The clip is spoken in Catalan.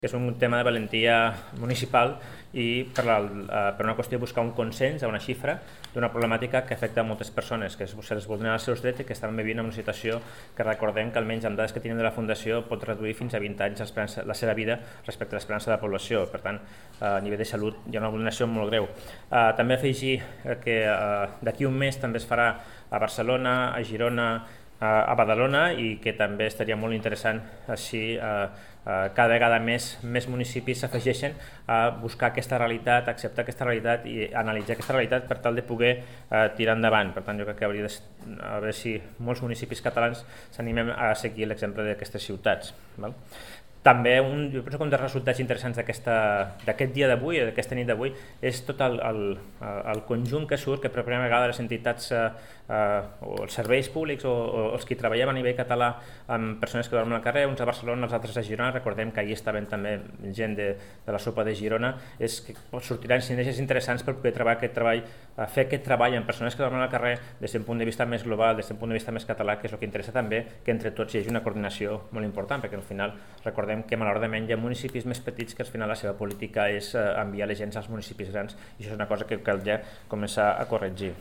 és un tema de valentia municipal i per una qüestió de buscar un consens, una xifra d'una problemàtica que afecta a moltes persones, que se les vulneren els seus drets i que estan vivint en una situació que recordem que almenys amb dades que tenim de la Fundació pot reduir fins a 20 anys la seva vida respecte a l'esperança de la població. Per tant, a nivell de salut hi ha una vulneració molt greu. També afegir que d'aquí un mes també es farà a Barcelona, a Girona, a Badalona, i que també estaria molt interessant així cada vegada més municipis s'afegeixen a buscar aquesta realitat, a acceptar aquesta realitat i analitzar aquesta realitat per tal de poder tirar endavant. Per tant, jo crec que hauria de veure si molts municipis catalans s'animem a seguir l'exemple d'aquestes ciutats. També jo penso que un dels resultats interessants d'aquest dia d'avui, d'aquesta nit d'avui, és tot el conjunt que surt, que per primera vegada les entitats o els serveis públics o els que treballem a nivell català amb persones que dormen al carrer, uns a Barcelona, els altres a Girona. Recordem que ahir estaven també gent de la sopa de Girona. És que sortiran sinergies interessants per poder fer aquest treball amb persones que dormen al carrer des d'un punt de vista més global, des d'un punt de vista més català, que és el que interessa també, que entre tots hi hagi una coordinació molt important, perquè al final recordem que malauradament hi ha municipis més petits que al final la seva política és enviar la gent als municipis grans, i això és una cosa que caldria començar a corregir.